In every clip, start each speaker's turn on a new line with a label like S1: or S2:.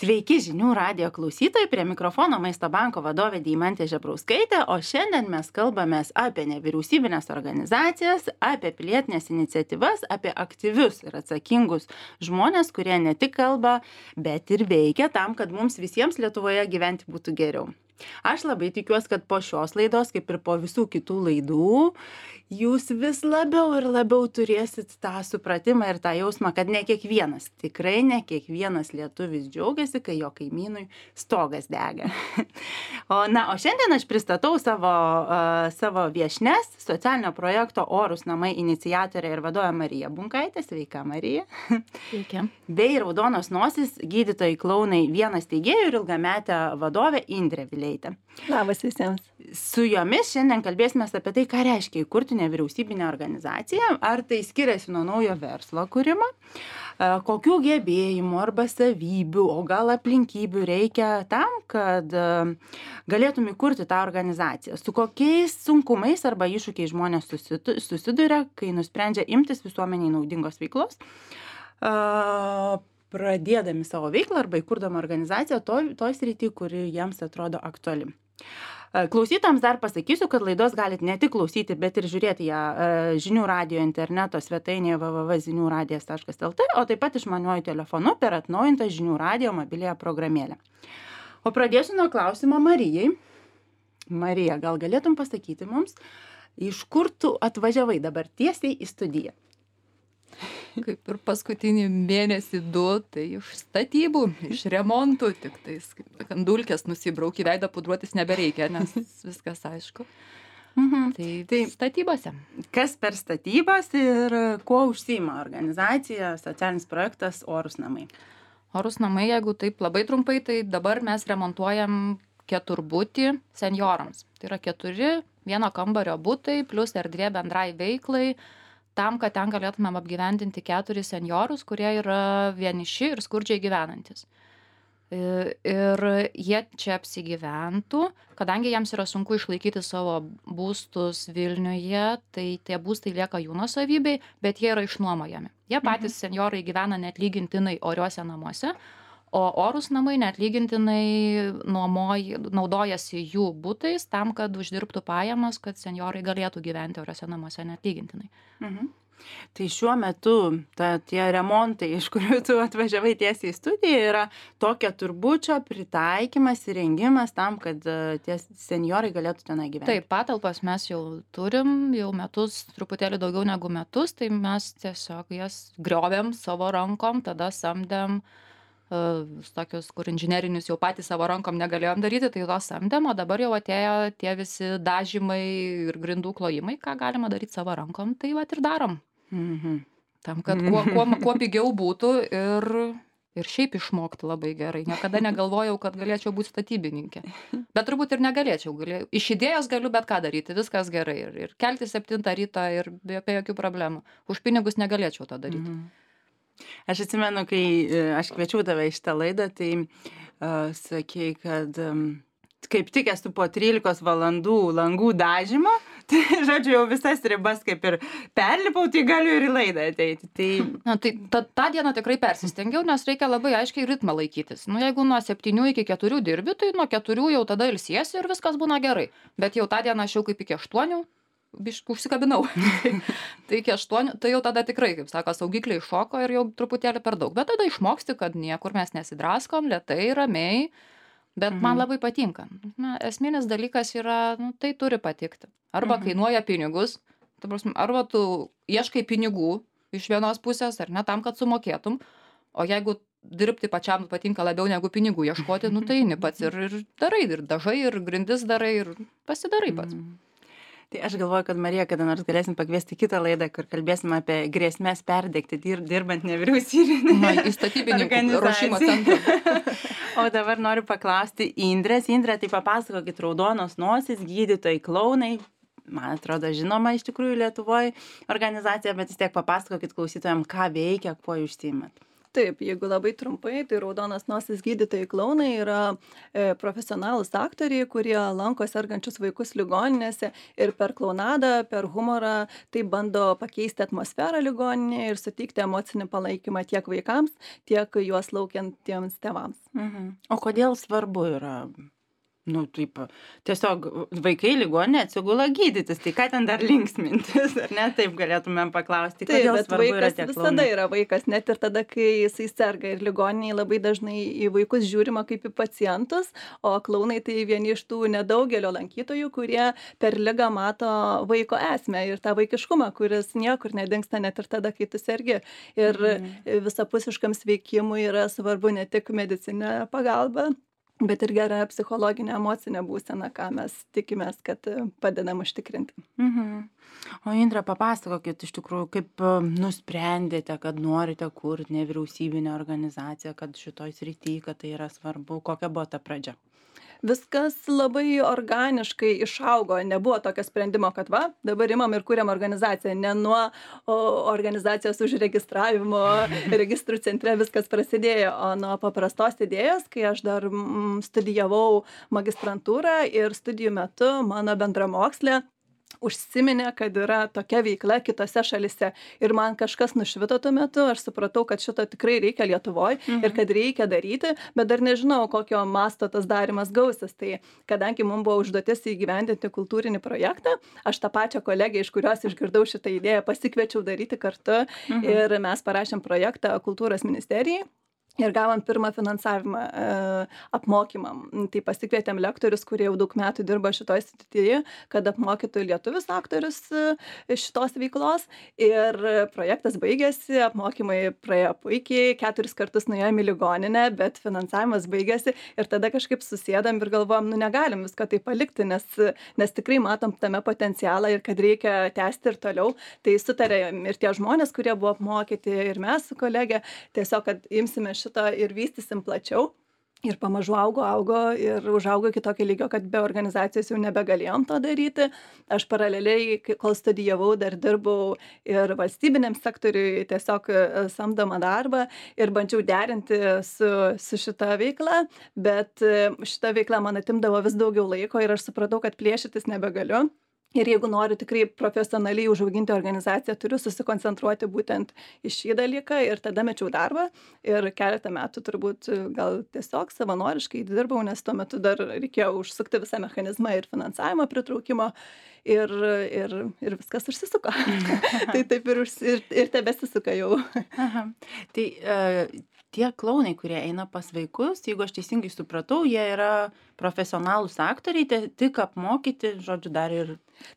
S1: Sveiki žinių radijo klausytojai, prie mikrofono Maisto banko vadovė Deimantė Žebrauskaitė, o šiandien mes kalbamės apie nevyriausybinės organizacijas, apie pilietinės iniciatyvas, apie aktyvius ir atsakingus žmonės, kurie ne tik kalba, bet ir veikia tam, kad mums visiems Lietuvoje gyventi būtų geriau. Aš labai tikiuosi, kad po šios laidos, kaip ir po visų kitų laidų, jūs vis labiau ir labiau turėsit tą supratimą ir tą jausmą, kad ne kiekvienas, tikrai ne kiekvienas lietuvis džiaugiasi, kai jo kaimynui stogas dega. O šiandien aš pristatau savo viešnes, socialinio projekto Orūs namai iniciatorė ir vadovė Marija Bunkaitė. Sveika, Marija.
S2: Sveiki.
S1: Bei Raudonos nosys gydytojai klounai vienas steigėjų ir ilgametė vadovė Indrė Vileitė.
S2: Labas visiems.
S1: Su jomis šiandien kalbėsime apie tai, ką reiškia įkurti nevyriausybinę organizaciją, ar tai skiriasi nuo naujo verslo kūrimo, kokių gebėjimų arba savybių, o gal aplinkybių reikia tam, kad galėtum įkurti tą organizaciją, su kokiais sunkumais arba iššūkiais žmonės susiduria, kai nusprendžia imtis visuomeniai naudingos veiklos, pradėdami savo veiklą arba įkurdami organizaciją toj srity, kuri jiems atrodo aktuali. Klausytojams dar pasakysiu, kad laidos galit ne tik klausyti, bet ir žiūrėti ją žinių radijo interneto svetainėje www.žiniųradijas.lt, o taip pat išmaniuoju telefonu per atnaujintą žinių radijo mobiliąją programėlę. O pradėsiu nuo klausimo Marijai. Marija, gal galėtum pasakyti mums, iš kur tu atvažiavai dabar tiesiai į studiją?
S2: Kaip ir paskutinį mėnesį 2, tai iš statybų, iš remontų, tik tais dulkės nusibrauki, veidą pudruotis nebereikia, nes viskas aišku. Tai statybose.
S1: Kas per statybas ir kuo užsiima organizacija, socialinis projektas Orūs namai?
S2: Orūs namai, jeigu taip labai trumpai, tai dabar mes remontuojam keturbutį senjorams. Tai yra 4 vieno kambario butai plus erdvė bendrai veiklai, tam, kad ten galėtumėm apgyvendinti 4 senjorus, kurie yra vieniši ir skurdžiai gyvenantis. Ir jie čia apsigyventų, kadangi jiems yra sunku išlaikyti savo būstus Vilniuje, tai tie būstai lieka jų nuosavybei, bet jie yra išnuomojami. Jie patys senjorai gyvena neatlygintinai oriuose namuose, o Orūs namai neatlygintinai naudojasi jų butais tam, kad uždirbtų pajamas, kad senjorai galėtų gyventi oriuose namuose neatlygintinai.
S1: Tai šiuo metu tie remontai, iš kurių tu atvažiavai tiesiai į studiją, yra tokia turbučio pritaikymas, įrengimas tam, kad tie senjorai galėtų tenai gyventi.
S2: Taip, patalpas mes jau turim, jau metus, truputėlį daugiau negu metus, tai mes tiesiog jas griovėm savo rankom, tada samdėm tokius, kur inžinerinius jau patys savo rankom negalėjom daryti, tai to samdėm, o dabar jau atėjo tie visi dažymai ir grindų klojimai, ką galima daryti savo rankom, tai vat ir darom. Tam, kad kuo pigiau būtų ir šiaip išmokti labai gerai. Niekada negalvojau, kad galėčiau būti statybininkė. Bet turbūt ir negalėčiau. Iš idėjos galiu bet ką daryti, viskas gerai. Ir kelti 7 ryto ir be jokių problemų. Už pinigus negalėčiau to daryti.
S1: Aš atsimenu, kai aš kviečiau tave į šitą laidą, tai sakei, kad kaip tik esu po 13 valandų langų dažymo, tai žodžiu, jau visas ribas kaip ir perlipau, tai galiu ir į laidą ateiti.
S2: Tai tą dieną tikrai persistengiau, nes reikia labai aiškiai ritmą laikytis. Jeigu nuo 7 iki 4 dirbi, tai nuo 4 jau tada ilsiesi ir viskas būna gerai. Bet jau tą dieną aš jau kaip iki 8 užsikabinau. Tai iki 8, tai jau tada tikrai, kaip sako, saugikliai šoko ir jau truputėlį per daug. Bet tada išmoksti, kad niekur mes nesidraskom, lėtai, ramiai, bet man labai patinka. Esminis dalykas yra, tai turi patikti. Arba kainuoja pinigus, arba tu ieškai pinigų iš vienos pusės, ar ne, tam, kad sumokėtum, o jeigu dirbti pačiam patinka labiau negu pinigų ieškoti, tai eini pats ir darai, ir dažai, ir grindis darai, ir pasidarai pats.
S1: Tai aš galvoju, kad Marija, kada nors galėsim pakviesti kitą laidą, kur kalbėsim apie grėsmės perdegti dirbant nevyriausybinėje
S2: statybininkų ruošimo centrą.
S1: O dabar noriu paklausti Indrės. Indrė, tai papasakokit, Raudonos nosys, gydytojai klounai. Man atrodo, žinoma iš tikrųjų Lietuvoje organizacija, bet vis tiek papasakokit klausytojams, ką veikia, kuo užsiimat.
S3: Taip, jeigu labai trumpai, tai raudonas nosis gydytojai klounai yra profesionalūs aktoriai, kurie lanko sergančius vaikus ligoninėse ir per klounadą, per humorą tai bando pakeisti atmosferą ligoninėje ir suteikti emocinį palaikymą tiek vaikams, tiek juos laukiantiems tėvams.
S1: O kodėl svarbu yra? Nu, taip, tiesiog vaikai ligoninėje atsigula gydytis, tai ką ten dar linksmintis, ar ne, taip galėtumėm paklausti,
S3: Taip,
S1: kodėl
S3: bet
S1: svarbu yra
S3: vaikas
S1: tie
S3: visada
S1: klounai?
S3: yra vaikas, net ir tada, kai jisai serga ir ligoniniai labai dažnai į vaikus žiūrima kaip į pacientus, o klounai tai vieni iš tų nedaugelio lankytojų, kurie per ligą mato vaiko esmę ir tą vaikiškumą, kuris niekur nedingsta net ir tada, kai tu sergi. Ir visapusiškam sveikimui yra svarbu ne tik medicininė pagalba, bet ir gera psichologinė emocinė būsena, ką mes tikimės, kad padedam užtikrinti.
S1: O Indre, papasakokit iš tikrųjų, kaip nusprendėte, kad norite kurti nevyriausybinę organizaciją, kad šitoj srity, kad tai yra svarbu, kokia buvo ta pradžia?
S3: Viskas labai organiškai išaugo, nebuvo tokio sprendimo, kad va, dabar imam ir kuriam organizaciją, ne nuo organizacijos užregistravimo registrų centre viskas prasidėjo, o nuo paprastos idėjos, kai aš dar studijavau magistrantūrą ir studijų metu mano bendramokslė užsiminė, kad yra tokia veikla kitose šalise. Ir man kažkas nušvito tuo metu, aš supratau, kad šito tikrai reikia Lietuvoje ir kad reikia daryti, bet dar nežinau, kokio masto tas darimas gausis. Tai kadangi mums buvo užduotis įgyvendinti kultūrinį projektą, aš tą pačią kolegę, iš kurios išgirdau šitą idėją, pasikviečiau daryti kartu ir mes parašėm projektą kultūros ministerijai. Ir gavom pirmą finansavimą apmokymam. Tai pasikvietėm lektorius, kurie jau daug metų dirba šitoj srityje, kad apmokytų lietuvius aktorius šitos veiklos. Ir projektas baigėsi, apmokymai praėjo puikiai, 4 kartus nuėjom į ligoninę, bet finansavimas baigėsi. Ir tada kažkaip susėdam ir galvojam, nu negalim visko tai palikti, nes tikrai matom tame potencialą ir kad reikia tęsti ir toliau. Tai sutarėm ir tie žmonės, kurie buvo apmokyti, ir mes su kolegė, tiesiog, kad imsime šito ir vystysim plačiau. Ir pamažu augo ir užaugo iki tokio lygio, kad be organizacijos jau nebegalėjom to daryti. Aš paraleliai, kol studijavau, dar dirbau ir valstybiniam sektoriui tiesiog samdomą darbą ir bandžiau derinti su šita veikla, bet šita veikla man atimdavo vis daugiau laiko ir aš supratau, kad plėšytis nebegaliu. Ir jeigu noriu tikrai profesionaliai užauginti organizaciją, turiu susikoncentruoti būtent į šį dalyką ir tada mečiau darbą ir keletą metų turbūt gal tiesiog savanoriškai dirbau, nes tuo metu dar reikėjo užsukti visą mechanizmą ir finansavimo pritraukimo ir viskas užsisuko. Tai taip ir tebesisuka jau.
S1: Aha. Tai tie klounai, kurie eina pas vaikus, jeigu aš teisingai supratau, jie yra profesionalūs aktoriai, tik apmokyti, žodžiu, dar ir...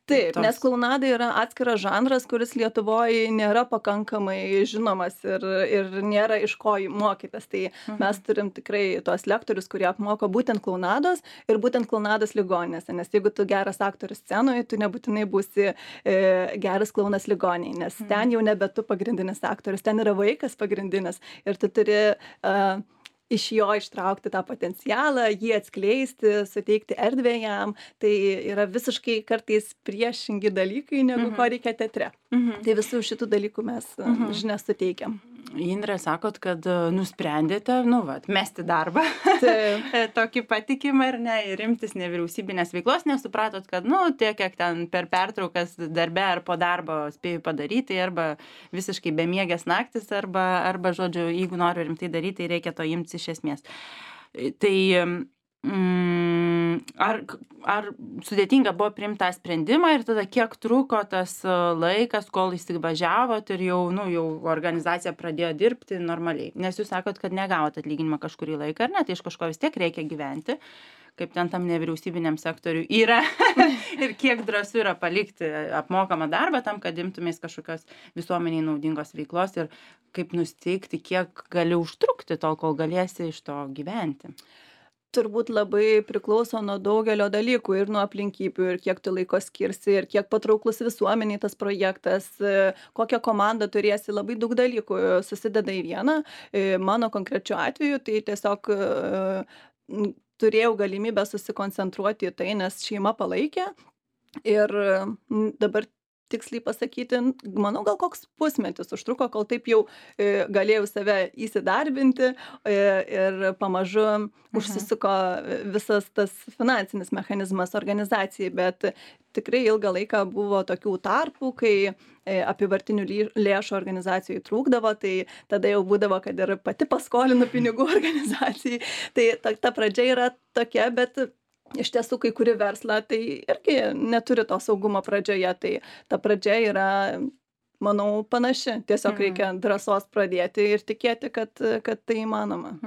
S3: Taip, nes klounada yra atskiras žanras, kuris Lietuvoje nėra pakankamai žinomas ir nėra iš ko mokytas. Tai mes turim tikrai tuos lektorius, kurie apmoko būtent klounados ir būtent klounados ligoninėse. Nes jeigu tu geras aktorius scenoje, tu nebūtinai būsi geras klounas ligoninėje, nes ten jau nebe tu pagrindinis aktorius, ten yra vaikas pagrindinis ir tu turi iš jo ištraukti tą potencialą, jį atskleisti, suteikti erdvę jam. Tai yra visiškai kartais priešingi dalykai, negu ko reikia teatre. Tai visų šitų dalykų mes žinias suteikiam.
S1: Indre, sakot, kad nusprendėte, mesti darbą, tokį patikimą ir ne, ir imtis nevyriausybinės veiklos, nes supratot, kad, tiek, kiek ten per pertraukas darbe ar po darbo spėjau padaryti, arba visiškai bemiegės naktis, arba, žodžiu, jeigu noriu rimtai daryti, tai reikia to imtis iš esmės. Tai ar sudėtinga buvo priimti tą sprendimą ir tada kiek truko tas laikas, kol įsivažiavot ir jau organizacija pradėjo dirbti normaliai? Nes jūs sakot, kad negavot atlyginimą kažkurį laiką, ar ne? Tai iš kažko vis tiek reikia gyventi, kaip ten tam nevyriausybiniam sektoriui yra ir kiek drąsu yra palikti apmokamą darbą tam, kad imtumės kažkokios visuomeniai naudingos veiklos ir kaip nusteikti, kiek gali užtrukti tol, kol galėsi iš to gyventi.
S3: Turbūt labai priklauso nuo daugelio dalykų ir nuo aplinkybių, ir kiek tu laiko skirsi, ir kiek patrauklus visuomeniai tas projektas, kokią komandą turėsi, labai daug dalykų susideda į vieną. Mano konkrečiu atveju tai tiesiog turėjau galimybę susikoncentruoti į tai, nes šeima palaikė ir dabar tiksliai pasakyti, manau, gal koks pusmetis užtruko, kol taip jau galėjau save įsidarbinti ir pamažu užsisuko visas tas finansinis mechanizmas organizacijai, bet tikrai ilgą laiką buvo tokių tarpų, kai apyvartinių lėšų organizacijai trūkdavo, tai tada jau būdavo, kad ir pati paskolinu pinigų organizacijai. Tai ta pradžia yra tokia, bet iš tiesų, kai kuri verslą, tai irgi neturi to saugumo pradžioje, tai ta pradžia yra, manau, panaši. Tiesiog reikia drąsos pradėti ir tikėti, kad tai įmanoma.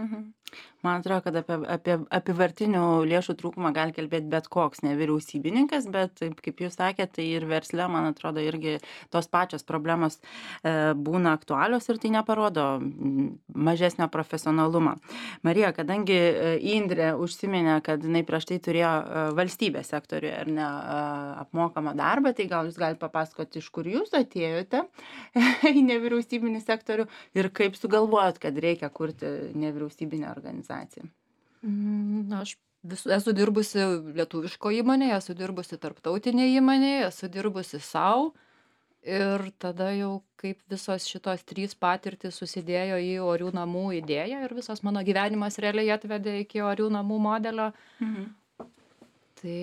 S1: Man atrodo, kad apie apyvartinių lėšų trūkumą gali kalbėti bet koks nevyriausybininkas, bet taip, kaip jūs sakėte, tai ir versle, man atrodo, irgi tos pačios problemos būna aktualios ir tai neparodo mažesnio profesionalumą. Marija, kadangi Indrė užsiminė, kad jinai prieš tai turėjo valstybės sektoriuje ar ne apmokamą darbą, tai gal jūs galite papasakoti, iš kur jūs atėjote į nevyriausybinį sektorių ir kaip sugalvojot, kad reikia kurti nevyriausybinę organizaciją.
S2: Aš esu dirbusi lietuviško įmonėje, esu dirbusi tarptautinėje įmonėje, esu dirbusi savo ir tada jau kaip visos šitos 3 patirtys susidėjo į orių namų idėją ir visas mano gyvenimas realiai atvedė iki orių namų modelio. Tai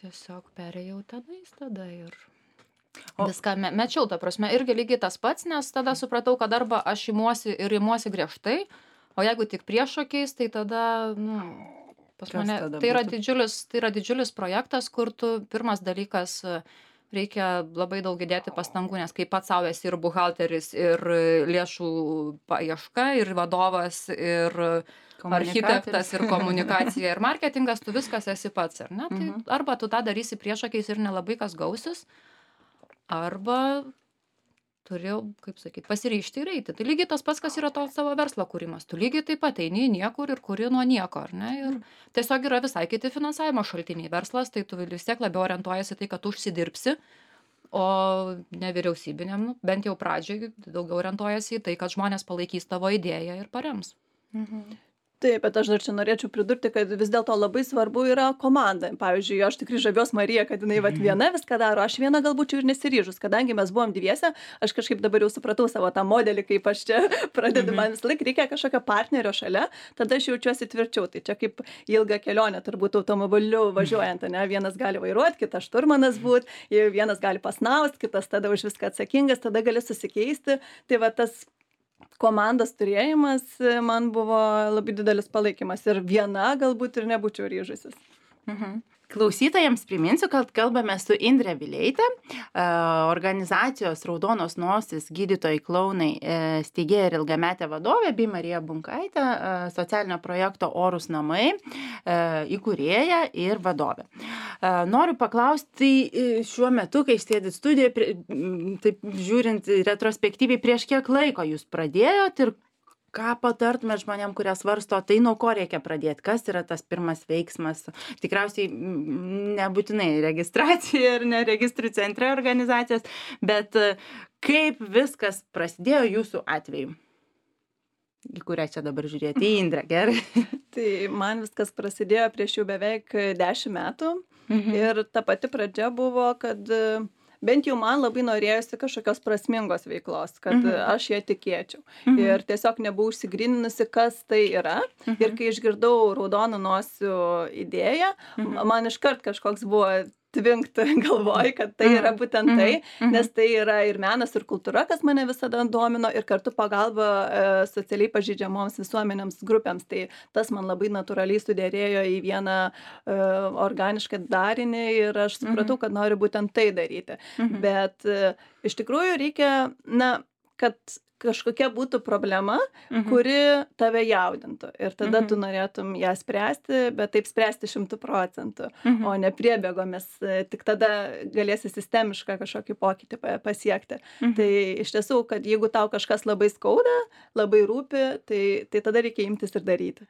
S2: tiesiog perėjau tenais tada ir viską mečiau, ta prasme, irgi lygiai tas pats, nes tada supratau, kad arba aš imuosi griežtai, o jeigu tik priešokiais, tai tada, pas mane, tai yra didžiulis projektas, kur tu pirmas dalykas reikia labai daug įdėti pastangų, nes kai pats savo esi ir buhalteris, ir lėšų paieška, ir vadovas, ir architektas, ir komunikacija, ir marketingas, tu viskas esi pats, ar ne? Tai arba tu tą darysi priešokiais ir nelabai kas gausis, arba turėjau, kaip sakyti, pasiryžti ir eiti. Tai lygiai tas pats, kas yra to savo verslo kūrimas. Tu lygiai taip pat eini niekur ir kuri nuo nieko, ar ne? Ir tiesiog yra visai kiti finansavimo šaltiniai. Verslas, tai tu vis tiek labiau orientuojasi tai, kad tu užsidirbsi, o nevyriausybiniam, bent jau pradžiai, daugiau orientuojasi į tai, kad žmonės palaikys tavo idėją ir parems.
S3: Taip, bet aš dar čia norėčiau pridurti, kad vis dėlto labai svarbu yra komanda. Pavyzdžiui, aš tikrai žaviuos Marija, kad jinai viena viską daro, aš viena galbūt ir nesiryžus, kadangi mes buvom dviese, aš kažkaip dabar jau supratau savo tą modelį, kaip aš čia pradedu, man vis laik reikia kažkokio partnerio šalia, tada aš jaučiuosi tvirčiau. Tai čia kaip ilga kelionė, turbūt automobiliu važiuojant, ne? Vienas gali vairuoti, kitas šturmanas būti, vienas gali pasnaust, kitas tada už viską atsakingas, tada gali susikeisti. Tai va tas komandos turėjimas man buvo labai didelis palaikymas ir viena galbūt ir nebūčiau ryžusis.
S1: Klausytojams priminsiu, kad kalbame su Indre Vileite, organizacijos Raudonos nosis gydytojai klounai steigėja ir ilgametė vadovė, bei Marija Bunkaitė, socialinio projekto Orūs namai įkūrėja ir vadovė. Noriu paklausti šiuo metu, kai sėdit studijoje, taip žiūrint retrospektyviai, prieš kiek laiko jūs pradėjot ir ką patartumėt žmonėm, kurie svarsto, tai nuo ko reikia pradėti, kas yra tas pirmas veiksmas? Tikriausiai nebūtinai registracija ir ne registrų centre organizacijos, bet kaip viskas prasidėjo jūsų atveju? Į kurią čia dabar žiūrėti? Į Indrę, gerai?
S3: Tai man viskas prasidėjo prieš jau beveik 10 metų ir ta pati pradžia buvo, kad bent jau man labai norėjosi kažkokios prasmingos veiklos, kad aš ją tikėčiau. Ir tiesiog nebuvau išsigryninusi, kas tai yra. Ir kai išgirdau Raudonų nosių idėją, man iškart kažkoks buvo tvinkt galvoj, kad tai yra būtent tai, nes tai yra ir menas, ir kultūra, kas mane visada domino, ir kartu pagalba socialiai pažeidžiamoms visuomenėms grupėms. Tai tas man labai natūraliai sudėrėjo į vieną organišką darinį ir aš supratau, kad noriu būtent tai daryti. Bet iš tikrųjų reikia, kad kažkokia būtų problema, kuri tave jaudintų. Ir tada tu norėtum ją spręsti, bet taip spręsti 100%, o ne priebėgomis. Tik tada galėsi sistemišką kažkokį pokytį pasiekti. Tai iš tiesų, kad jeigu tau kažkas labai skauda, labai rūpi, tai tada reikia imtis ir daryti.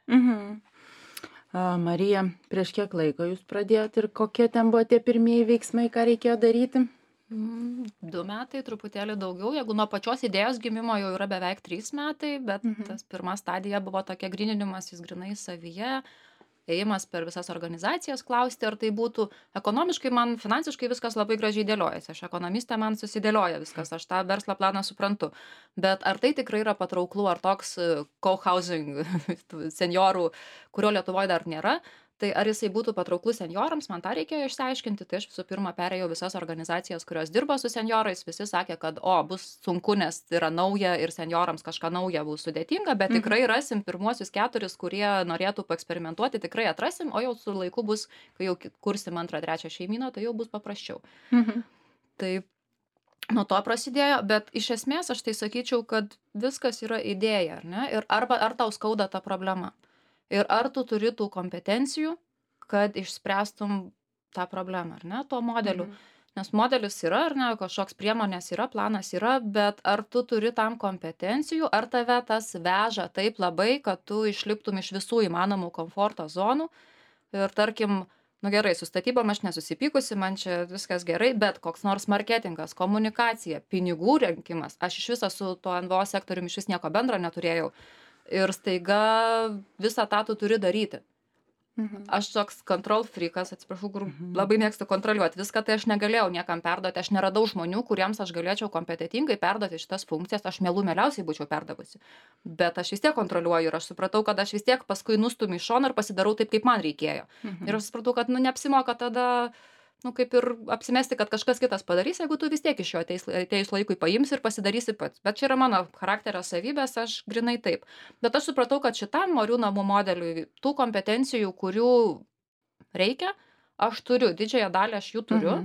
S1: Marija, prieš kiek laiko jūs pradėjot ir kokie ten buvo tie pirmieji veiksmai, ką reikėjo daryti?
S2: 2 metai, truputėlį daugiau. Jeigu nuo pačios idėjos gimimo jau yra beveik 3 metai, bet tas pirma stadija buvo tokia gryninimas, jis grinai savyje. ėjimas per visas organizacijas, klausti, ar tai būtų ekonomiškai, man finansiškai viskas labai gražiai dėliojasi. Aš ekonomistė, man susidėlioja viskas, aš tą verslo planą suprantu. Bet ar tai tikrai yra patrauklu, ar toks co-housing seniorų, kurio Lietuvoje dar nėra, tai ar jisai būtų patrauklus senjorams, man tą reikėjo išsiaiškinti. Tai aš visų pirma perėjau visas organizacijas, kurios dirba su senjorais, visi sakė, kad bus sunku, nes tai yra nauja ir senjorams kažką nauja bus sudėtinga, bet tikrai rasim pirmuosius 4, kurie norėtų paeksperimentuoti, tikrai atrasim, o jau su laiku bus, kai jau kursim 2, 3 šeimyną, tai jau bus paprasčiau. Tai nuo to prasidėjo, bet iš esmės aš tai sakyčiau, kad viskas yra idėja, ar ne? Ir ar tau skauda ta problema. Ir ar tu turi tų kompetencijų, kad išspręstum tą problemą, ar ne, tuo modeliu. Nes modelis yra, ar ne, kažkoks priemonės yra, planas yra, bet ar tu turi tam kompetencijų, ar tave tas veža taip labai, kad tu išliptum iš visų įmanomų komforto zonų. Ir tarkim, gerai, su statybom aš nesusipykusi, man čia viskas gerai, bet koks nors marketingas, komunikacija, pinigų rinkimas, aš iš viso su tuo NVO sektoriumi iš vis nieko bendro neturėjau. Ir staiga visą tą tu turi daryti. Aš toks control freakas, atsiprašau, kur labai mėgstu kontroliuoti viską, tai aš negalėjau niekam perduoti, aš neradau žmonių, kuriems aš galėčiau kompetentingai perduoti šitas funkcijas, aš mieliausiai būčiau perdavusi. Bet aš vis tiek kontroliuoju ir aš supratau, kad aš vis tiek paskui nustumiu į šoną ir pasidarau taip, kaip man reikėjo. Ir aš supratau, kad neapsimoka tada kaip ir apsimesti, kad kažkas kitas padarys, jeigu tu vis tiek iš jo ateis laikui paimsi ir pasidarysi pats. Bet čia yra mano charakterio savybės, aš grinai taip. Bet aš supratau, kad šitam orių namų modeliui tų kompetencijų, kurių reikia, aš turiu, didžiąją dalį aš jų turiu,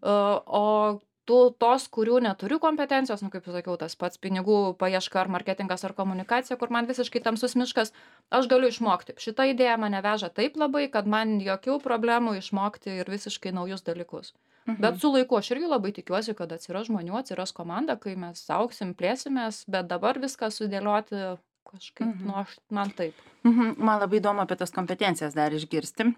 S2: o tos, kurių neturiu kompetencijos, kaip sakiau, tas pats pinigų paieška ar marketingas ar komunikacija, kur man visiškai tamsus miškas, aš galiu išmokti. Šita idėja mane veža taip labai, kad man jokių problemų išmokti ir visiškai naujus dalykus. Bet su laiku aš irgi labai tikiuosi, kad atsiras žmonių, atsiras komanda, kai mes augsim, plėsimės, bet dabar viską sudėlioti kažkaip, man taip.
S1: Man labai įdomu apie tas kompetencijas dar išgirsti.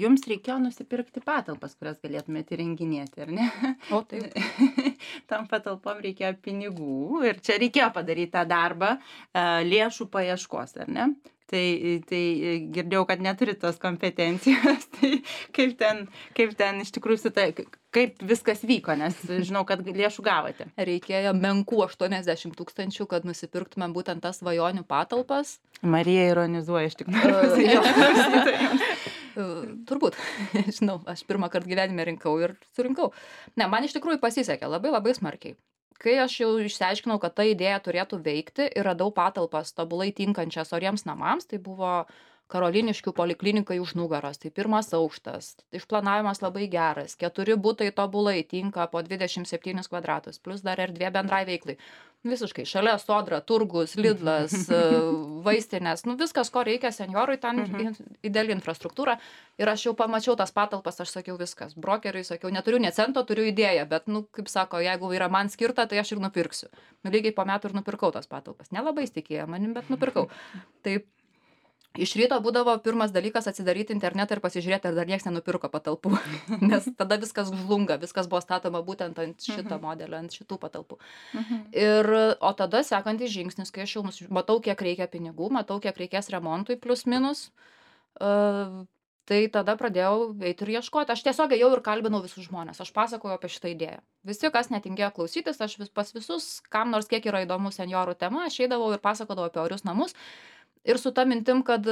S1: Jums reikėjo nusipirkti patalpas, kurias galėtumėte įrenginėti, ar ne?
S2: O taip.
S1: Tam patalpom reikėjo pinigų ir čia reikėjo padaryti tą darbą lėšų paieškos, ar ne? Tai girdėjau, kad neturi tos kompetencijos, tai kaip ten iš tikrųjų kaip viskas vyko, nes žinau, kad lėšų gavote.
S2: Reikėjo menkų 80 000, kad nusipirktumėm būtent tas svajonių patalpas.
S1: Marija ironizuoja iš tikrųjų.
S2: Turbūt, žinau, aš pirmą kartą gyvenime rinkau ir surinkau. Ne, man iš tikrųjų pasisekė labai labai smarkiai. Kai aš jau išsiaiškinau, kad ta idėja turėtų veikti ir radau patalpas tobulai tinkančias oriems namams, tai buvo Karoliniškių poliklinikai už nugaros, tai 1 aukštas, išplanavimas labai geras, 4 butai tobulai tinka po 27 kvadratus, plus dar erdvė bendrai veiklai. Visiškai, šalia Sodra, turgus, Lidlas, vaistinės, viskas, ko reikia senjorui, ten ideali infrastruktūra. Ir aš jau pamačiau tas patalpas, aš sakiau viskas. Brokeriui sakiau, neturiu nė cento, turiu idėją, bet, kaip sako, jeigu yra man skirta, tai aš ir nupirksiu. Lygiai po metų ir nupirkau tas patalpas. Nelabai tikėjo manim, bet nupirkau. Taip. Iš ryto būdavo pirmas dalykas atsidaryti internetą ir pasižiūrėti, ar dar nieks nenupirko patalpų, nes tada viskas žlunga, viskas buvo statoma būtent ant šito modelio, ant šitų patalpų. O tada sekantis žingsnis, kai aš jau matau, kiek reikia pinigų, matau, kiek reikės remontui plus minus, tai tada pradėjau eiti ir ieškoti. Aš tiesiog ėjau ir kalbinau visus žmonės, aš pasakojau apie šitą idėją. Visi, kas netingėjo klausytis, aš pas visus, kam nors kiek yra įdomu senjorų tema, aš eidavau ir pasakodavau apie orius namus. Ir su ta mintim, kad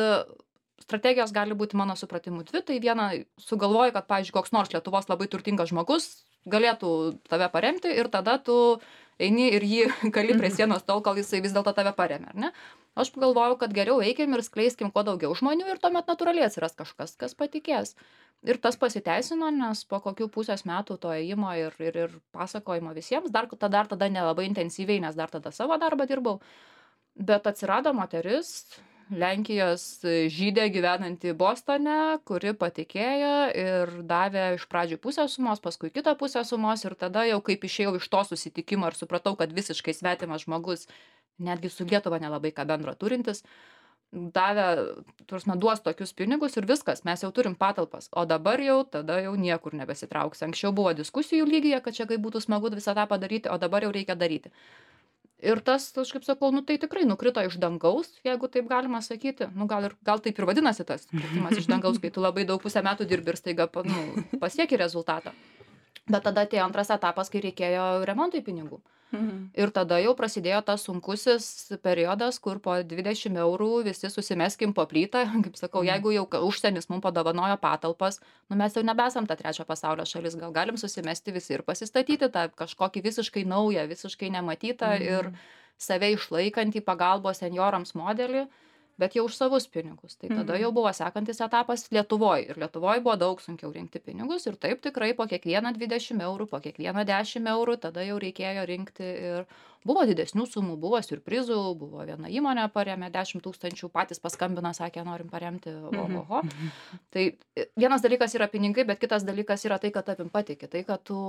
S2: strategijos gali būti mano supratimu 2, tai viena sugalvoju, kad, pavyzdžiui, koks nors Lietuvos labai turtingas žmogus galėtų tave paremti ir tada tu eini ir jį kali prie sienos tol, kol jisai vis dėlto tave paremia, ar ne? Aš pagalvojau, kad geriau eikim ir skleiskim kuo daugiau žmonių ir tuomet natūraliai atsiras kažkas, kas patikės. Ir tas pasiteisino, nes po kokių pusės metų to ėjimo ir pasakojimo visiems, tada nelabai intensyviai, nes dar tada savo darbą dirbau. Bet atsirado moteris, Lenkijos žydė gyvenanti Bostone, kuri patikėjo ir davė iš pradžių pusę sumos, paskui kitą pusę sumos ir tada jau kaip išėjau iš to susitikimo ir supratau, kad visiškai svetimas žmogus, netgi su Lietuva nelabai ką bendro turintis, duos tokius pinigus ir viskas, mes jau turim patalpas, o dabar tada jau niekur nebesitrauks. Anksčiau buvo diskusijų lygyje, kad čia kaip būtų smagu visą tą padaryti, o dabar jau reikia daryti. Ir tas, aš kaip sakau, nu tai tikrai nukrito iš dangaus, jeigu taip galima sakyti. Nu gal taip ir vadinasi tas kritimas iš dangaus, kai tu labai daug pusę metų dirbi ir staiga pasieki rezultatą. Bet tada atėjo antras etapas, kai reikėjo remontui pinigų. Ir tada jau prasidėjo tas sunkusis periodas, kur po 20 eurų visi susimeskim po plytą. Kaip sakau, jeigu jau užsienis mums padovanojo patalpas, nu mes jau nebesam ta trečio pasaulio šalis, gal galim susimesti visi ir pasistatyti tą kažkokį visiškai naują, visiškai nematytą ir save išlaikantį pagalbos senjorams modelį, bet jau už savus pinigus. Tai tada jau buvo sekantis etapas Lietuvoj. Ir Lietuvoj buvo daug sunkiau rinkti pinigus. Ir taip tikrai po kiekvieną 20 eurų, po kiekvieną 10 eurų, tada jau reikėjo rinkti. Ir buvo didesnių sumų, buvo siurprizų, buvo viena įmonė paremė 10 000, patys paskambino, sakė, norim paremti. Oho. Tai vienas dalykas yra pinigai, bet kitas dalykas yra tai, kad tavim patiki. Tai, kad tu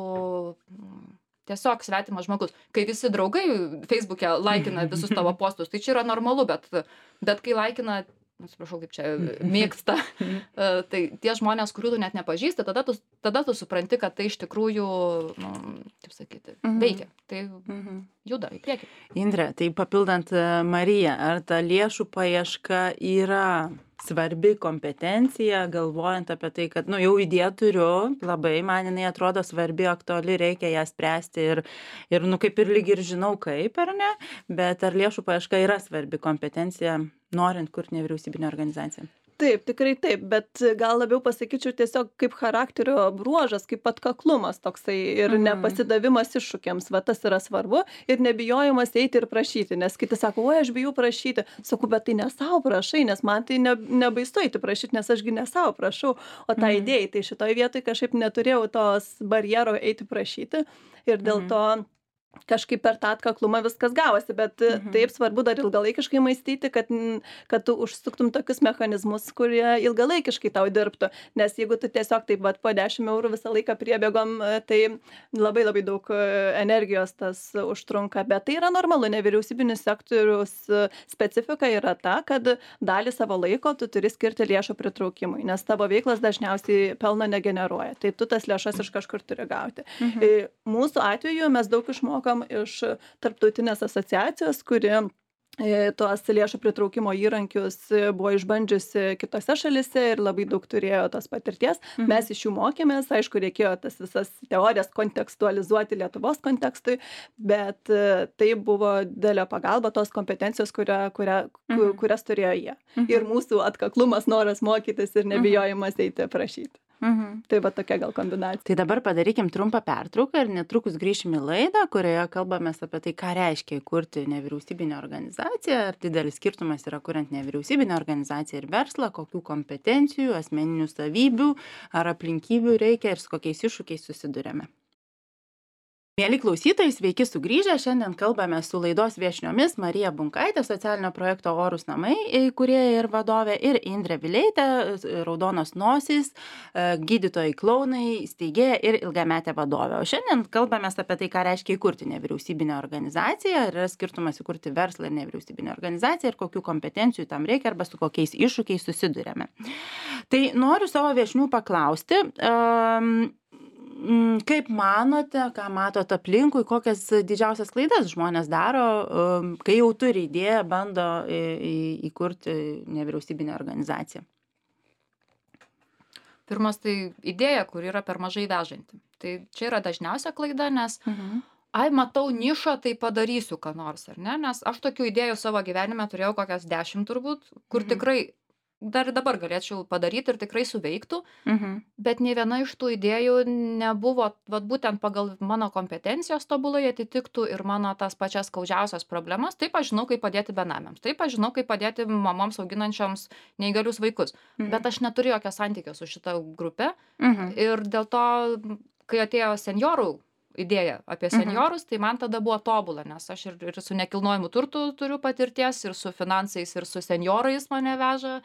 S2: tiesiog svetimas žmogus. Kai visi draugai Facebook'e laikina visus tavo postus, tai čia yra normalu, bet kai laikina, atsiprašau, kaip čia mėgsta, tai tie žmonės, kurių tu net nepažįsti, tada tu supranti, kad tai iš tikrųjų, taip sakyti, veikia. Tai juda į priekį.
S1: Indre, tai papildant Mariją, ar ta lėšų paieška yra svarbi kompetencija, galvojant apie tai, kad, jau idėją turiu, labai man jinai atrodo svarbi, aktuali, reikia ją spręsti ir kaip ir lyg ir žinau kaip, ar ne, bet ar lėšų paieška yra svarbi kompetencija, norint kurti nevyriausybinę organizaciją?
S3: Taip, tikrai taip, bet gal labiau pasakyčiau tiesiog kaip charakterio bruožas, kaip atkaklumas toksai ir nepasidavimas iššūkiams, va tas yra svarbu ir nebijojimas eiti ir prašyti, nes kiti sako, oi, aš bijau prašyti, sakau, bet tai ne savo prašai, nes man tai nebaisu eiti prašyti, nes ašgi ne savo prašau, o tą idėją, tai šitoj vietoj kažkaip neturėjau tos barjero eiti prašyti ir dėl to kažkaip per tą atkaklumą viskas gavosi, bet taip svarbu dar ilgalaikiškai mąstyti, kad tu užsuktum tokius mechanizmus, kurie ilgalaikiškai tau dirbtų, nes jeigu tu tiesiog taip po 10 eurų visą laiką priebėgom, tai labai labai daug energijos tas užtrunka, bet tai yra normalu, nevyriausybinis sektorius specifika yra ta, kad dalį savo laiko tu turi skirti lėšų pritraukimui, nes tavo veiklas dažniausiai pelno negeneruoja, tai tu tas lėšas iš kažkur turi gauti. Mūsų atveju mes daug išmokam iš tarptautinės asociacijos, kuri tuos lėšų pritraukimo įrankius buvo išbandžiusi kitose šalise ir labai daug turėjo tos patirties. Mes iš jų mokėmės, aišku, reikėjo tas visas teorijas kontekstualizuoti Lietuvos kontekstui, bet tai buvo didelė pagalba tos kompetencijos, kurias turėjo jie. Ir mūsų atkaklumas, noras mokytis ir nebijojimas eiti prašyti. Tai va tokia gal kombinacija.
S1: Tai dabar padarykim trumpą pertrauką ir netrukus grįšim į laidą, kurioje kalbamės apie tai, ką reiškia įkurti nevyriausybinę organizaciją, ar didelis skirtumas yra kuriant nevyriausybinę organizaciją ir verslą, kokių kompetencijų, asmeninių savybių ar aplinkybių reikia ir su kokiais iššūkiais susiduriame. Mieli klausytojai, sveiki sugrįžę. Šiandien kalbame su laidos viešniomis Marija Bunkaitė, socialinio projekto Orūs namai įkūrėja ir vadovė, ir Indrė Vileitė, Raudonos nosys, gydytojai klounai, steigėja ir ilgametė vadovė. O šiandien kalbame apie tai, ką reiškia įkurti nevyriausybinę organizaciją, ar yra skirtumas įkurti verslą ir nevyriausybinę organizaciją, ir kokių kompetencijų tam reikia, arba su kokiais iššūkiais susiduriame. Tai noriu savo viešnių paklausti, kaip manote, ką matot aplinkui, kokias didžiausias klaidas žmonės daro, kai jau turi idėją, bando įkurti nevyriausybinę organizaciją?
S2: Pirmas, tai idėja, kur yra per mažai vežanti. Tai čia yra dažniausia klaida, nes matau nišą, tai padarysiu ką nors, ar ne? Nes aš tokių idėjų savo gyvenime turėjau kokias 10 turbūt, kur tikrai dar dabar galėčiau padaryti ir tikrai suveiktų, bet nei viena iš tų idėjų nebuvo, būtent pagal mano kompetencijos tobulai atitiktų ir mano tas pačias skaudžiausias problemas. Taip aš žinau, kaip padėti benamiams, taip aš žinau, kaip padėti mamoms auginančioms neįgalius vaikus, bet aš neturiu jokio santykio su šita grupe ir dėl to, kai atėjo senjorų idėja apie senjorus, tai man tada buvo tobula, nes aš ir su nekilnojimu turtu turiu patirties, ir su finansais, ir su senjorais mane veža.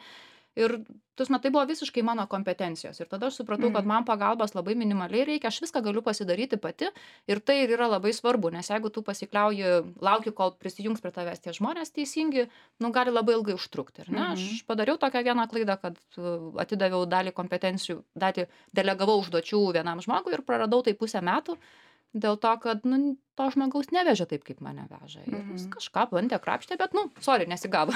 S2: Ir tai buvo visiškai mano kompetencijos. Ir tada aš supratau, kad man pagalbos labai minimaliai reikia, aš viską galiu pasidaryti pati. Ir tai yra labai svarbu, nes jeigu tu pasikliauji, lauki, kol prisijungs prie tavęs tie žmonės teisingi, gali labai ilgai užtrukti. Aš padariau tokią vieną klaidą, kad atidaviau dalį kompetencijų, delegavau užduočių vienam žmogui ir praradau tai 1,5 metų. Dėl to, kad to žmogaus nevežė taip, kaip mane veža. Ir jis kažką bandė krapštė, bet, nesigavo.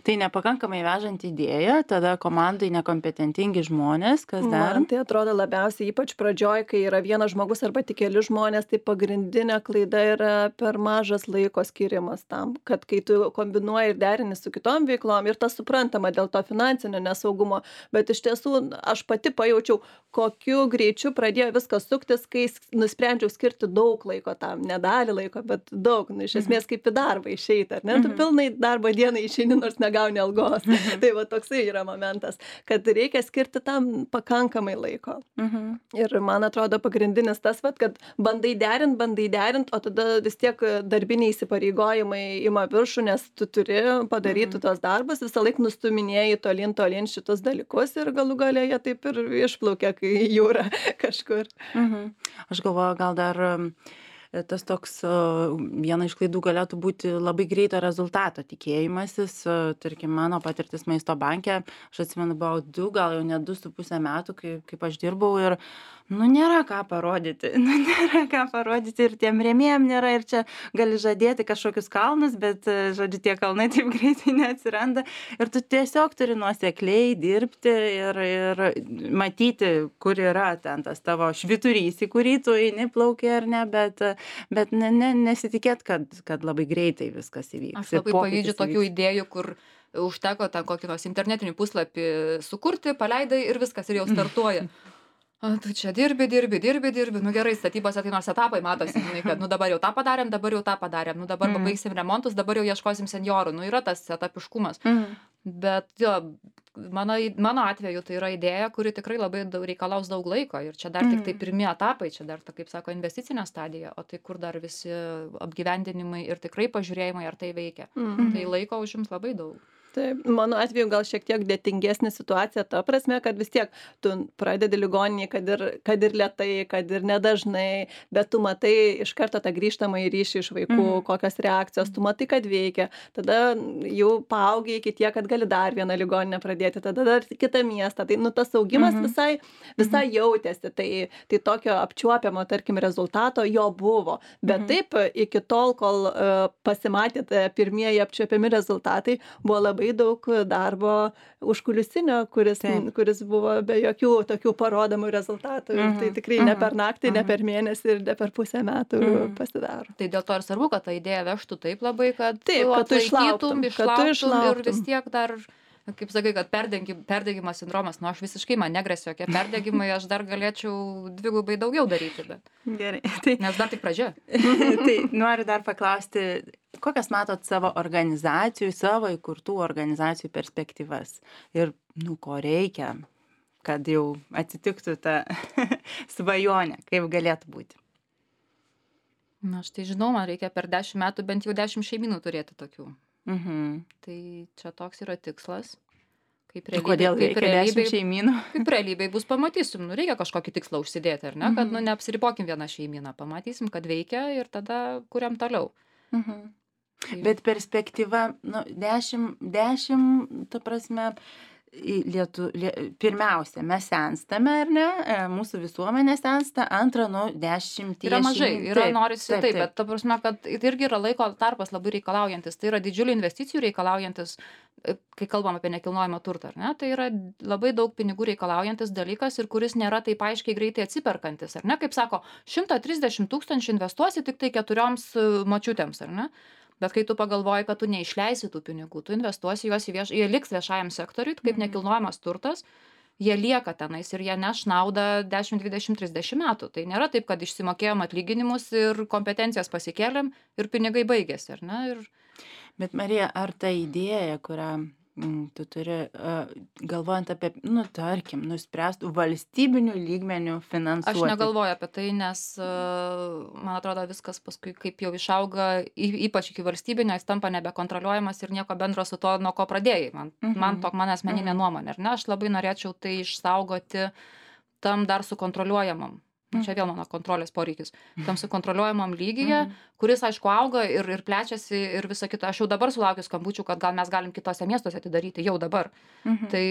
S1: Tai nepakankamai vežanti idėja, tada komandai nekompetentingi žmonės, kas dar?
S3: Man tai atrodo labiausiai, ypač pradžioj, kai yra vienas žmogus arba tik keli žmonės, tai pagrindinė klaida yra per mažas laiko skirimas tam, kad kai tu kombinuoji ir derini su kitom veiklom, ir tas suprantama dėl to finansinio nesaugumo, bet iš tiesų aš pati pajaučiau, kokiu greičiu pradėjo viskas suktis, kai nusprendžiau skirti daug laiko tam, ne dalį laiko, bet daug, iš esmės kaip į darbą išeiti, ar ne? Tu pilnai darbo dieną išeini, nors negauni algos. Tai va toksai yra momentas, kad reikia skirti tam pakankamai laiko. Ir man atrodo pagrindinis tas, kad bandai derint, o tada vis tiek darbiniai įsipareigojimai ima viršų, nes tu turi padaryti tos darbus, visą laiką nustuminėjai tolin šitus dalykus ir galų gale jie taip ir išplaukia, kai jūra kažkur.
S1: Aš galvoju, gal dar tas toks viena iš klaidų galėtų būti labai greito rezultato tikėjimasis. Tarkim, mano patirtis Maisto banke, aš atsimenu, buvo 2, gal jau net 2,5 metų, kaip aš dirbau ir nėra ką parodyti. Nėra ką parodyti ir tiem rėmėjam nėra ir čia gali žadėti kažkokius kalnus, bet, žodžiu, tie kalnai taip greitai neatsiranda. Ir tu tiesiog turi nuosekliai dirbti ir matyti, kur yra ten tas tavo švyturys, į kurį tu eini, plauki ar ne, bet nesitikėt, kad labai greitai viskas įvyks.
S2: Aš labai pavydžiu tokių idėjų, kur užteko ten kokį nors internetinį puslapį sukurti, paleidai ir viskas, ir jau startuoja. Tu čia dirbi, gerai, statybose tai nors etapai matosi, kad dabar jau tą padarėm, dabar pabaigsim remontus, dabar jau ieškosim senjorų, yra tas etapiškumas. Bet jo, mano atveju tai yra idėja, kuri tikrai labai reikalaus daug laiko ir čia dar tik tai pirmi etapai, čia dar, kaip sako, investicinė stadija, o tai kur dar visi apgyvendinimai ir tikrai pažiūrėjimai, ar tai veikia. Tai laiko užims labai daug.
S3: Taip, mano atveju gal šiek tiek dėtingesnė situacija ta prasme, kad vis tiek tu pradedi ligoninėje, kad ir lėtai, kad ir nedažnai, bet tu matai iš karto tą grįžtamą į ryšį iš vaikų, kokios reakcijos, tu matai, kad veikia, tada jau paaugiai iki tiek, kad gali dar vieną ligoninę pradėti, tada dar kitą miestą, tai tas augimas visai jautėsi, tai tokio apčiuopiamo, tarkim, rezultato jo buvo, bet taip iki tol, kol pasimatė pirmieji apčiuopiami rezultatai, buvo labai daug darbo užkulisinio, kuris buvo be jokių tokių parodomų rezultatų. Ir tai tikrai ne per naktį, ne per mėnesį ir ne per pusę metų pasidaro.
S2: Tai dėl to ir svarbu, kad ta idėja vežtų taip labai, kad
S3: tu išlauktum
S2: ir vis tiek dar, kaip sakai, kad perdegimo sindromas, aš visiškai man negresia jokie perdegimai, aš dar galėčiau 2 daugiau daryti, bet.
S1: Gerai.
S2: Nes dar tik pradžia.
S1: Tai noriu dar paklausti, kokias matot savo organizacijų, savo įkurtų organizacijų perspektyvas ir, ko reikia, kad jau atsitiktų ta svajonė, kaip galėtų būti?
S2: Aš tai žinau, man reikia per 10 metų bent jau 10 šeimynų turėti tokių. Tai čia toks yra tikslas.
S1: Kodėl reikia 10 šeimynų?
S2: Kaip realybėj bus, pamatysim, reikia kažkokį tikslą užsidėti, ar ne, kad neapsiribokim vieną šeimyną, pamatysim, kad veikia ir tada kuriam toliau.
S1: Bet perspektyva, 10, ta prasme, pirmiausia, mes senstame, ar ne, mūsų visuomenė sensta, antra, 10.
S2: Yra mažai, norisi taip, bet ta prasme, kad tai irgi yra laiko tarpas labai reikalaujantis, tai yra didžiulių investicijų reikalaujantis, kai kalbam apie nekilnojamą turtą, ar ne, tai yra labai daug pinigų reikalaujantis dalykas ir kuris nėra taip aiškiai greitai atsiperkantis, ar ne, kaip sako, 130 000 investuosi tik tai 4 močiutėms, ar ne? Bet kai tu pagalvoji, kad tu neišleisi tų pinigų, tu investuosi juos jie liks viešajam sektoriui, kaip nekilnojamas turtas, jie lieka tenais ir jie neš naudą 10, 20, 30 metų. Tai nėra taip, kad išsimokėjom atlyginimus ir kompetencijas pasikėlėm ir pinigai baigėsi, ar ne?
S1: Bet Marija, ar ta idėja, kurią tu turi, galvojant apie, tarkim, nuspręstų valstybinių lygmenių finansuoti?
S2: Aš negalvoju apie tai, nes, man atrodo, viskas paskui, kaip jau išauga, ypač iki valstybinio, jis tampa nebekontroliuojamas ir nieko bendro su to, nuo ko pradėjai. Man asmeninė nuomonė, ar ne? Aš labai norėčiau tai išsaugoti tam dar sukontroliuojamam. Čia vėl mano kontrolės poreikis. Tam sukontroliuojamam lygyje, kuris, aišku, auga ir plečiasi ir visa kita. Aš jau dabar sulaukiu skambučių, kad gal mes galim kitose miestuose atidaryti, jau dabar. Tai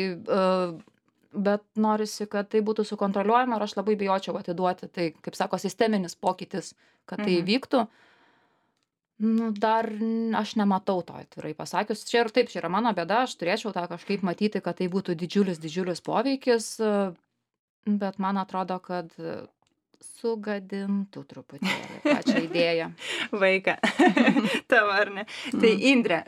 S2: bet norisi, kad tai būtų sukontroliuojama ir aš labai bijočiau atiduoti. Tai, kaip sako, sisteminis pokytis, kad tai įvyktų. Nu, dar aš nematau to, atvirai pasakius. Čia ir taip, čia yra mano bėda, aš turėčiau tą kažkaip matyti, kad tai būtų didžiulis poveikis, bet man atrodo, kad sugadintų truputėlį pačią idėją.
S1: Vaiką. Tavo, ar ne? Tai Indre,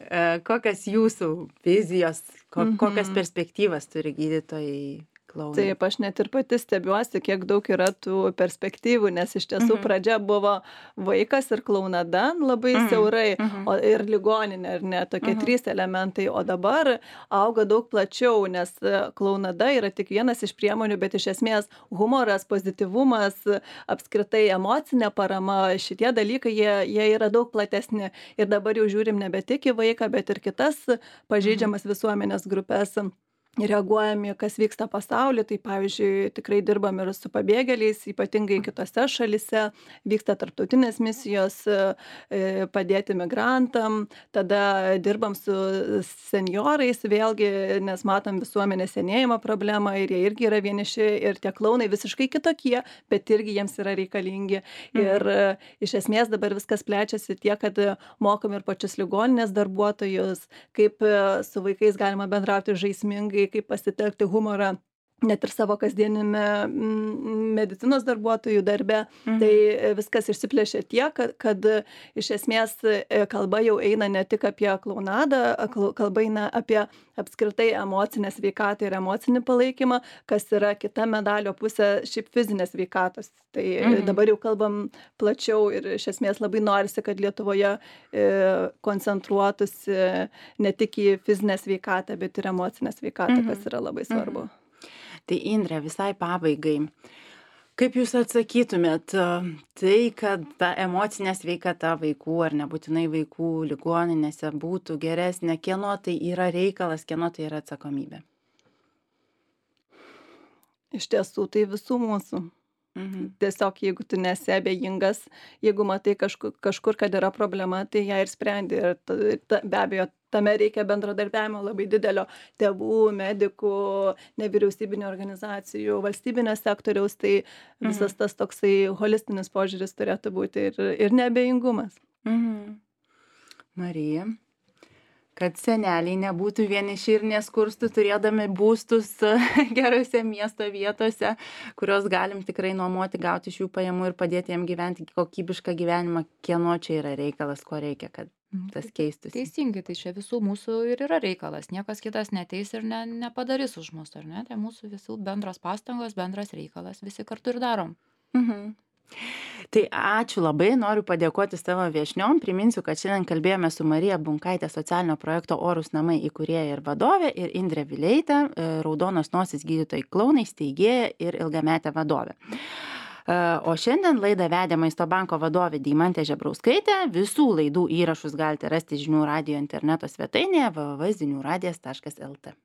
S1: kokias jūsų vizijos, kokias perspektyvas turi gydytojai klounai?
S3: Taip, aš net ir pati stebiuosi, kiek daug yra tų perspektyvų, nes iš tiesų pradžia buvo vaikas ir klounada labai siaurai, ir ligoninė, ar ne, tokie 3 elementai, o dabar auga daug plačiau, nes klounada yra tik vienas iš priemonių, bet iš esmės humoras, pozityvumas, apskritai emocinė parama, šitie dalykai, jie yra daug platesni ir dabar jau žiūrim nebe tik į vaiką, bet ir kitas pažeidžiamas visuomenės grupės. Reaguojame, kas vyksta pasaulyje, tai pavyzdžiui, tikrai dirbam ir su pabėgėliais, ypatingai kitose šalise, vyksta tarptautinės misijos padėti migrantam, tada dirbam su senjorais vėlgi, nes matom visuomenės senėjimo problemą ir jie irgi yra vieniši ir tie klounai visiškai kitokie, bet irgi jiems yra reikalingi. Ir iš esmės dabar viskas plečiasi tiek, kad mokom ir pačius ligoninės darbuotojus, kaip su vaikais galima bendrauti žaismingai, kaip pasitelkti humorą net ir savo kasdienime medicinos darbuotojų darbe. Tai viskas išsiplėšė tiek, kad iš esmės kalba jau eina ne tik apie klounadą, kalba eina apie apskritai emocinę sveikatą ir emocinį palaikymą, kas yra kita medalio pusė šiaip fizinės sveikatos. Tai dabar jau kalbam plačiau ir iš esmės labai norisi, kad Lietuvoje koncentruotųsi ne tik į fizinę sveikatą, bet ir emocinę sveikatą, kas yra labai svarbu.
S1: Tai Indre, visai pabaigai, kaip jūs atsakytumėt tai, kad ta emocinė sveikata vaikų ar nebūtinai vaikų ligoninėse būtų geresnė, kieno tai yra reikalas, kieno tai yra atsakomybė?
S3: Iš tiesų, tai visų mūsų. Tiesiog, jeigu tu nesi abejingas, jeigu matai kažkur, kad yra problema, tai ją ir sprendi. Ir be abejo, tame reikia bendradarbiavimo labai didelio tėvų, medikų, nevyriausybinių organizacijų, valstybinio sektoriaus, tai visas tas toksai holistinis požiūris turėtų būti ir neabejingumas.
S1: Marija, kad seneliai nebūtų vieniši ir neskurstų, turėdami būstus gerose miesto vietose, kurios galim tikrai nuomoti, gauti iš jų pajamų ir padėti jiem gyventi kokybišką gyvenimą, kieno čia yra reikalas, ko reikia, kad tas keistųsi.
S2: Teisingai, tai čia visų mūsų ir yra reikalas. Niekas kitas neteis ir nepadarys už mus, ar ne? Tai mūsų visų bendros pastangos, bendras reikalas, visi kartu ir darom.
S1: Tai ačiū labai, noriu padėkoti savo viešniom. Priminsiu, kad šiandien kalbėjome su Marija Bunkaitė, socialinio projekto Orūs namai įkūrėja ir vadovė, ir Indre Vileitė, Raudonos nosis gydytojai klounai, steigėja ir ilgametė vadovė. O šiandien laidą vedė Maisto banko vadovė Deimantė Žebrauskaitė. Visų laidų įrašus galite rasti Žinių radijo interneto svetainėje www.ziniuradijas.lt.